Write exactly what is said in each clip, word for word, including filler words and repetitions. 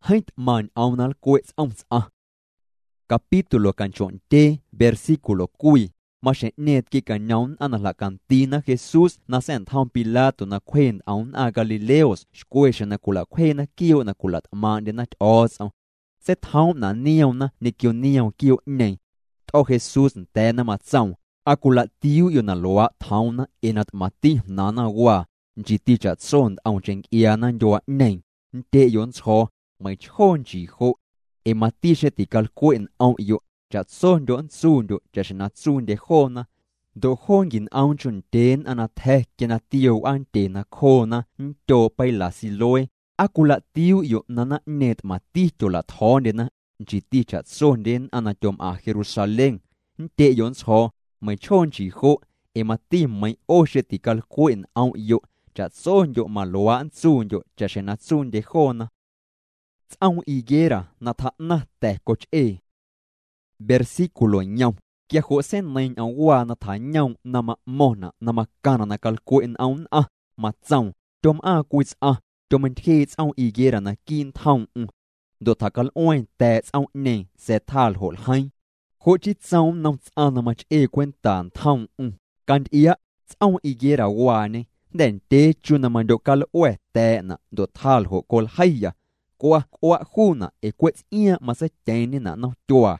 Jeeⁿ tꞌmaⁿ ñꞌoom na nlcweꞌ tsꞌom tsꞌaⁿ. Capítulo canchoꞌndyee versículo cwii. Maxjeⁿꞌñeeⁿ tquicañoom nnꞌaⁿ na jlaꞌcandiina Jesús na sa̱ꞌntjom Pilato na cwje ntꞌom nnꞌaⁿ galileos xcwe xjeⁿ na cwilaꞌcwjeena quiooꞌ na cwilaꞌtꞌmaaⁿꞌndyena Tyꞌo̱o̱tsꞌom. Seitjoomꞌnaꞌ nioomna ñequio nioom quiooꞌñeeⁿ. Tꞌo̱ Jesús nda̱a̱na, matsoom: —¿Aa cwilaꞌtiuuꞌyoꞌ na luaaꞌ tjoomna ee na tꞌmaⁿti jnaaⁿna waa, nchiiti chaꞌtso ntꞌomcheⁿ ncꞌiaana ndyuaaꞌñeeⁿ, nntyeꞌyoꞌ nntsjo̱o̱: “Meiⁿchjoo nchii joꞌ”? Ee mati xeⁿ ticalcweꞌ nꞌomꞌyoꞌ, chaꞌtsondyoꞌ nntsundyoꞌ chaꞌxjeⁿ na tsuundye joona. Ndoꞌ joo nquinꞌoomncho ndyee nnꞌaⁿ na tja̱ quia na tioo wꞌaantyee nacjoona nntyooꞌ peila Siloé, ¿aa cwilaꞌtiuuꞌyoꞌ na naⁿꞌñeeⁿ tꞌmaⁿti tyolaꞌtjo̱o̱ndyena, nchiiti chaꞌtsondye nnꞌaⁿ na tyomꞌaⁿ Jerusalén, nntyeꞌyoꞌ nntsjo̱o̱: “Meiⁿchjoo nchii joꞌ”? Ee mati meiiⁿ ꞌo xeⁿ ticalcweꞌ nꞌomꞌyoꞌ, chaꞌtsondyoꞌ maluaaꞌ nntsundyoꞌ chaꞌxjeⁿ na tsuundye joona. Tsꞌoom higuera na tjaaꞌnaⁿ ta̱ cochꞌee. Versículo yom. Quia joꞌ seineiiⁿ ñꞌoomwaa na tjañoomꞌ na maꞌmo̱ⁿnaꞌ na macaⁿnaꞌ na calcweꞌ nꞌom nnꞌaⁿ, matsoom: —Tyomꞌaaⁿ cwii tsꞌaⁿ, tyomeintyjeeꞌ tsꞌoom higuera naquiiꞌ ntjomꞌm. Ndoꞌ tjacalꞌueeⁿ ta̱a̱ꞌ tsꞌoomꞌñeeⁿ sa̱a̱ tjaa ljoꞌ ljeiiⁿ. Joꞌ chii tsoom nnom tsꞌaⁿ na machꞌee cwenta ntjomꞌm: —Cantyꞌiaꞌ, tsꞌoom higuera waañe, jnda̱ ndyee chu na mandyoꞌcalꞌua̱ ta̱a̱ꞌnaꞌ ndoꞌ tjaa ljoꞌ coljeiya. Cwa cꞌuaꞌ juunaꞌ ee cweꞌ tsꞌiaaⁿꞌ matseityeeⁿñenaꞌ nnomtyuaa.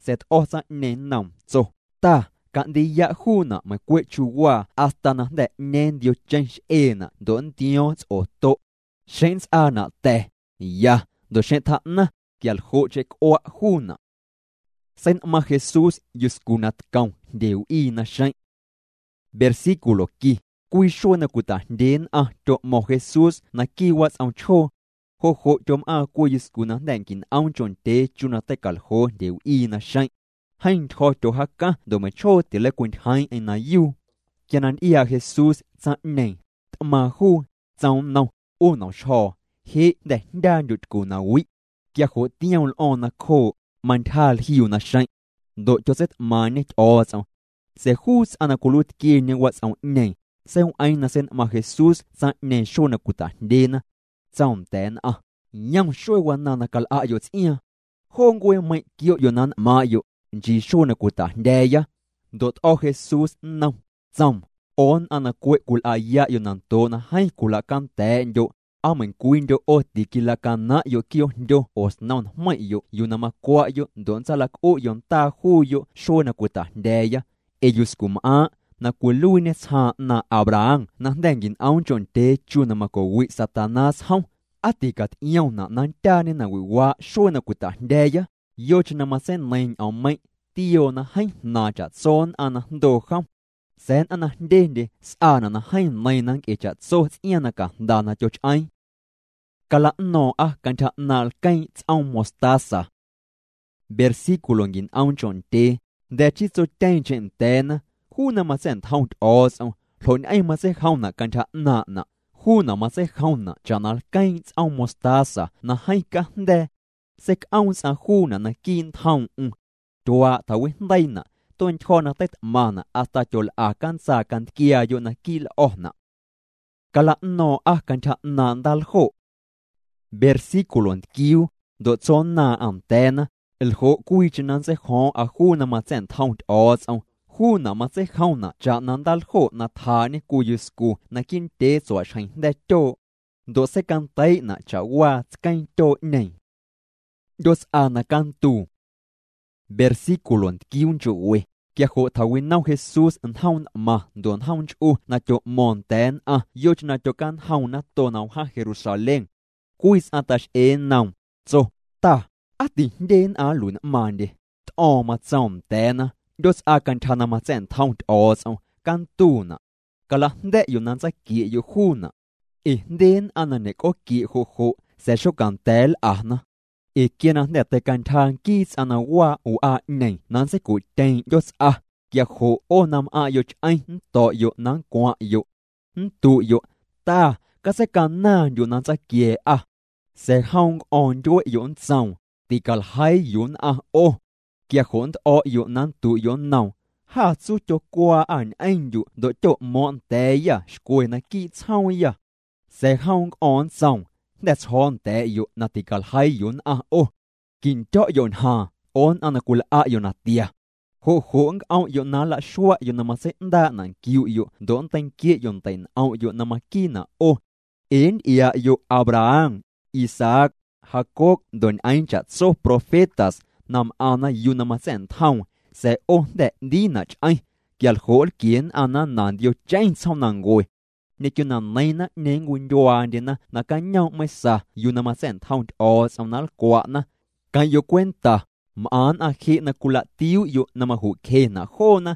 Sa̱a̱ tꞌo̱ tsaⁿꞌñeeⁿ nnoom, tso: —Ta, caꞌndiiyaꞌ juunaꞌ meiⁿcweꞌ chiuuwaa hasta na jnda̱ ꞌñeeⁿ ndiocheⁿ xꞌeenaꞌ ndoꞌ nntio̱o̱ⁿ tsꞌotoꞌ. Xeⁿ nntsꞌaanaꞌ ta̱, ya, ndoꞌ xeⁿ tjaaꞌnaⁿ, quialjoꞌcheⁿ cꞌuaꞌ juunaꞌ. Seinꞌmaⁿ Jesús yuscu na tcom jndye wꞌii naxeⁿꞌ. Versículo qui. Cwii xuee na cwitajndyee nnꞌaⁿ tyoꞌmo̱ⁿ Jesús naquiiꞌ watsꞌom chjoo. Joꞌ joꞌ tyomꞌaaⁿ cwii yuscu na jnda̱ nquinꞌoomncho ndyee chu na teicaljoo jndyewꞌii naxeⁿꞌ. Jeeⁿ ntyjo̱ tyojaacaⁿ ndoꞌ meiⁿchjoo tileicwintyjeeⁿꞌeⁿ na yuu. Quia na ntyꞌiaaꞌ Jesús tsaⁿꞌñeeⁿ, tꞌmaaⁿ juu, tsoom nnom: —ꞌU nomxjo̱o̱, jeꞌ jnda̱ jndyaandyoꞌ tycu na wiꞌ. Quia joꞌ tioom lꞌo̱o̱ⁿ nacjooꞌ, mantyja ljiu naxeⁿꞌ. Ndoꞌ tyotseitꞌmaaⁿꞌñe Tyꞌo̱o̱tsꞌom. Sa̱a̱ juu tsꞌaⁿ na cwiluiitquieñe watsꞌomꞌñeeⁿ, seiwꞌeeⁿ na seinꞌmaⁿ Jesús tsaⁿꞌñeeⁿ xuee na cwitajndyeena. Tsoom nda̱a̱ nnꞌaⁿ: —Yom xuee wanaaⁿ na calꞌaꞌyoꞌ tsꞌiaaⁿ. Joo ncueemeiⁿꞌ quioꞌyoꞌ na nꞌmaaⁿꞌyoꞌ, nchii xuee na cwitajndya̱a̱ya. Ndoꞌ tꞌo̱ Jesús nnom, tsoom: —ꞌO nnꞌaⁿ na cweꞌ cwilꞌayaꞌyoꞌ na ndooꞌ na jeeⁿ cwilaꞌcanda̱a̱ꞌndyoꞌ, ¿aa meiⁿcwiindyoꞌ ꞌo tiquilaꞌcanaⁿꞌyoꞌ quiooꞌjndyo oo snom njmeiⁿꞌyoꞌ yuu na macwaꞌyoꞌ ndoꞌ nntsalacꞌuꞌyoꞌ ndaa juuyoꞌ xuee na cwitajndya̱a̱ya? Ee yuscumꞌaaⁿꞌ na cwiluiiñe tsjaaⁿ ꞌnaaⁿꞌ Abraham na jnda̱ nquinꞌoomncho ndyee chu na macowiꞌ Satanás jom, ¿aa ticatyꞌiomnaꞌ na nndyaañe nawiꞌwaaꞌ xuee na cwitajndya̱a̱ya? Yocheⁿ na matseineiiⁿ ñꞌoommeiⁿꞌ, tioo na jeeⁿ jnaaⁿ chaꞌtso nnꞌaⁿ na jndoo jom. Sa̱a̱ nnꞌaⁿ na jndyendye sꞌaanaꞌ na jeeⁿ neiiⁿna ncꞌe chaꞌtso tsꞌiaaⁿ na cajnda na tyochꞌeeⁿ. Calaꞌno̱o̱ⁿꞌa cantyja ꞌnaaⁿꞌ lqueeⁿ tsꞌoom mostaza. Versículo nquinꞌoomncho ndyee. Jnda̱ chii tsotyeeⁿcheⁿ nda̱a̱na: —Juu na matsa̱ꞌntjom Tyꞌo̱o̱tsꞌom, ¿ljoꞌñꞌeⁿ matseijomnaꞌ cantyja ꞌnaaⁿꞌnaꞌ? Juunaꞌ matseijomnaꞌ chaꞌna lqueeⁿ tsꞌoom mostaza na jeeⁿ cajnda̱a̱. Seicꞌoom tsꞌaⁿ juunaꞌ naquiiꞌ ntjomꞌm. Tyuaaꞌ tjawijndeiinaꞌ, tueꞌntyjo̱ na teitꞌmaⁿnaꞌ hasta tyolꞌa cantsaa cantquiaayoꞌ naquiiꞌ lꞌo̱naꞌ. Calaꞌno̱o̱ⁿꞌa cantyja ꞌnaaⁿꞌ ndaaljoꞌ. Versículo ntquiuu. Ndoꞌ tso nnaaⁿꞌaⁿ nda̱a̱na: —Ljoꞌ cwiicheⁿ na nntseijomꞌa juu na matsa̱ꞌntjom Tyꞌo̱o̱tsꞌom, juunaꞌ matseijomnaꞌ chaꞌna ndaaljoꞌ na tjaaꞌñe cwii yuscu naquiiꞌ ndyee tsuaꞌxjeⁿ jnda̱ tyooꞌ. Ndoꞌ seicandeiiꞌnaꞌ chaꞌwaa tsqueeⁿ tyooꞌñeeⁿ. ꞌNdyootsꞌa na canduu. Versículo ntquiuuncho we. Quia joꞌ tjawinom Jesús njoom ntꞌmaⁿ ndoꞌ njoom nchꞌu na tyoꞌmo̱o̱ⁿ nda̱a̱ nnꞌaⁿ yocheⁿ na tyocañjom nato na wjaⁿ Jerusalén. Cwii tsꞌaⁿ taxꞌee nnoom, tso: —Ta, ¿aa tijndye nnꞌaⁿ nluiꞌnꞌmaaⁿndye? Tꞌo̱o̱ⁿ matsoom nda̱a̱na: —ꞌNdyootsꞌa cantyja na matsa̱ꞌntjom Tyꞌo̱o̱tsꞌom, cantuunaꞌ. Calajnda̱ꞌyoꞌ na nntsaquieꞌyoꞌ juunaꞌ. Ee jndye nnꞌaⁿ na ñecꞌooquieꞌ joꞌ joꞌ sa̱a̱ xocanda̱a̱ nlꞌana. Ee quia na jnda̱ teicantyja nquii tsꞌaⁿ na waaꞌ wꞌaaꞌñeeⁿ na nntseicuꞌtyeeⁿ ꞌndyootsꞌa, quia joꞌ ꞌo na mꞌaⁿꞌyoꞌ chꞌeⁿ nnto̱ꞌyoꞌ na nncwaⁿꞌyoꞌ. Nntuꞌyoꞌ: “Ta, catseicanaaⁿndyuꞌ na nntsaquia̱a̱ꞌâ.” Sa̱a̱ jom nncꞌo̱o̱ⁿ ndyueꞌyoꞌ nntsoom: “Ticaljeii yuu nnꞌaⁿ ꞌo.” Quia joꞌ nntꞌo̱ꞌyoꞌ na nntuꞌyoꞌ nnoom: “Jâ tsu tyocwaaꞌâ ñꞌeⁿndyuꞌ ndoꞌ tyoꞌmo̱o̱ⁿꞌ nda̱a̱yâ xcwe naquiiꞌ tsjoomyâ.” Sa̱a̱ jom nncꞌo̱o̱ⁿ nntsoom: Jnda̱ tsjo̱o̱ nda̱a̱ꞌyoꞌ na ticaljeiiyoꞌ nnꞌaⁿ ꞌo. Quindyo̱ꞌyoꞌ ñjaaⁿ ꞌo nnꞌaⁿ na cwilꞌaꞌyoꞌ natia. Joꞌ joꞌ nncꞌomꞌyoꞌ na nlaꞌxuaꞌyoꞌ na matseiꞌndaaꞌnaꞌ nquiuꞌyoꞌ ndoꞌ nnteinquieꞌyoꞌ ndeiꞌnꞌomꞌyoꞌ na maquiinaꞌ ꞌo. Ee ntyꞌiaaꞌyoꞌ Abraham, Isaac, Jacob ndoꞌ ñꞌeeⁿ chaꞌtso profetas na mꞌaⁿna yuu na matsa̱ꞌntjoom, sa̱a̱ ꞌo jnda̱ ꞌndiinaꞌ chꞌeⁿ, quia ljoꞌ nlquie nnꞌaⁿ na nandiocheⁿ tsjoomnancue. Ñequio na neiiⁿ naⁿꞌñeeⁿ nncwindyuaandyena nacañoomꞌ mesa yuu na matsa̱ꞌntjom Tyꞌo̱o̱tsꞌom na nlcwaꞌna. Queⁿꞌyoꞌ cwenta, mꞌaⁿ nnꞌaⁿ jeꞌ na cwilaꞌtiuuꞌyoꞌ na majuꞌcjenaꞌ joona.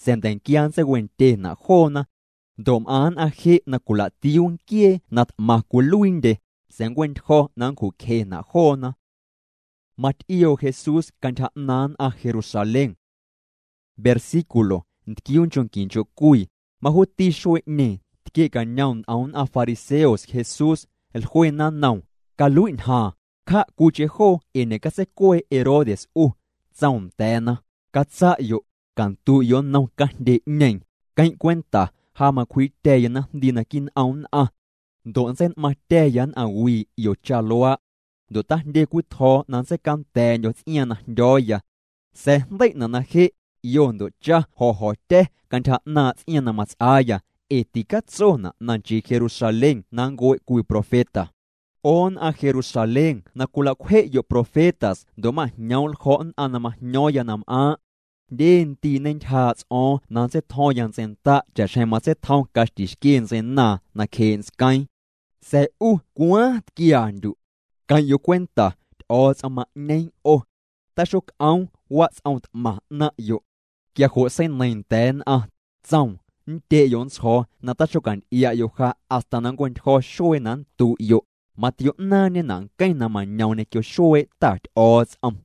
Sa̱a̱ nda̱nquia nntseicwentyenaꞌ joona. Ndoꞌ mꞌaⁿ nnꞌaⁿ jeꞌ na cwilaꞌtiuu nquiee na tꞌmaⁿ cwiluiindye, sa̱a̱ nncweꞌntyjo̱ na nncjuꞌcjenaꞌ joona. Matyꞌioo Jesús cantyja ꞌnaaⁿ nnꞌaⁿ Jerusalén. Versículo ntquiuunchonquincho cwii. Majuuti xueeꞌñeeⁿ tquieꞌcañom ntꞌom nnꞌaⁿ fariseos Jesús, jluena nnoom: —Caluiꞌ ñjaaⁿ, cjaꞌ cwiicheⁿ joo ee ñeꞌcatseicuee Herodes ꞌu. Tsoom nda̱a̱na: —Catsaꞌyoꞌ, canduꞌyoꞌ nnom canjndyeꞌñeeⁿ, queⁿꞌ cwenta, ja macwjiiꞌtya̱ya naⁿjndii naquiiꞌ nꞌom nnꞌaⁿ. Ndoꞌ nntseinꞌmaⁿtya̱ya nnꞌaⁿwii ꞌio cha luaaꞌ. Ndoꞌ tajndye cwii tjo̱o̱ na nntseicanda̱a̱ndyo̱ tsꞌiaaⁿ na jndyo̱o̱ya. Sa̱a̱ jndeiꞌnaꞌ na jeꞌ ꞌio ndoꞌ cha jo̱ jo̱tya̱ cantyja ꞌnaaⁿꞌ tsꞌiaaⁿ na matsꞌaaya, ee ticatsonaꞌ na nchii Jerusalén na nncueꞌ cwii profeta. ꞌO nnꞌaⁿ Jerusalén na cwilaꞌcwjeꞌyoꞌ profetas ndoꞌ majñoomꞌ ljo̱ꞌ nnꞌaⁿ na majño̱o̱ⁿya na mꞌaaⁿꞌ. Jndye ndiiꞌ ñentyjaaꞌ tsꞌo̱o̱ⁿ na nntseitjo̱ⁿya ntseindaꞌ chaꞌxjeⁿ matseitjom caxtixquie ntseinaaⁿ nacjeeꞌ ntsqueeⁿ. Sa̱a̱ ꞌu cwaaⁿ tquiandyuꞌ. Queⁿꞌyoꞌ cwenta, Tyꞌo̱o̱tsꞌom maꞌñeeⁿ ꞌo. Taxocꞌoom watsꞌom tꞌmaⁿ ꞌnaⁿꞌyoꞌ. Quia joꞌ seineiiⁿ nda̱a̱ nnꞌaⁿ, tsoom: —Nndyeꞌyoꞌ nntsjo̱o̱ na taxocantyꞌiaꞌyoꞌ ja hasta na nncweꞌntyjo̱ xuee na nnduꞌyoꞌ. Matioꞌnaaⁿñenaꞌ nqueⁿ na mañoom ñequio xueeꞌ Ta Tyꞌo̱o̱tsꞌom.